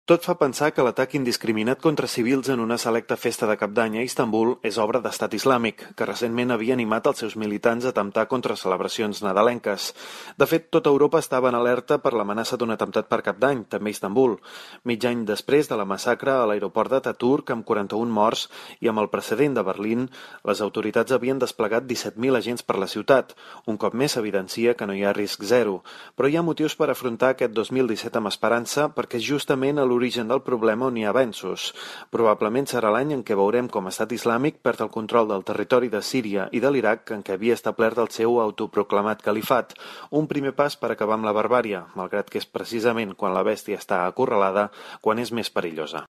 Tot fa pensar que l'atac indiscriminat contra civils en una selecta festa de Cap d'Any a Istanbul és obra d'Estat Islàmic, que recentment havia animat els seus militants a atemptar contra celebracions nadalenques. De fet, tota Europa estava en alerta per l'amenaça d'un atemptat per Cap d'Any, també a Istanbul. Mig any després de la massacre a l'aeroport d'Ataturk, amb 41 morts, i amb el precedent de Berlín, les autoritats havien desplegat 17.000 agents per la ciutat. Un cop més s'evidencia que no hi ha risc zero. Però hi ha motius per afrontar aquest 2017 amb esperança, perquè justament a l'origen del problema on hi ha avenços. Probablement serà l'any en què veurem com Estat Islàmic perd el control del territori de Síria i de l'Iraq en què havia establert el seu autoproclamat califat. Un primer pas per acabar amb la barbària, malgrat que és precisament quan la bèstia està acorralada quan és més perillosa.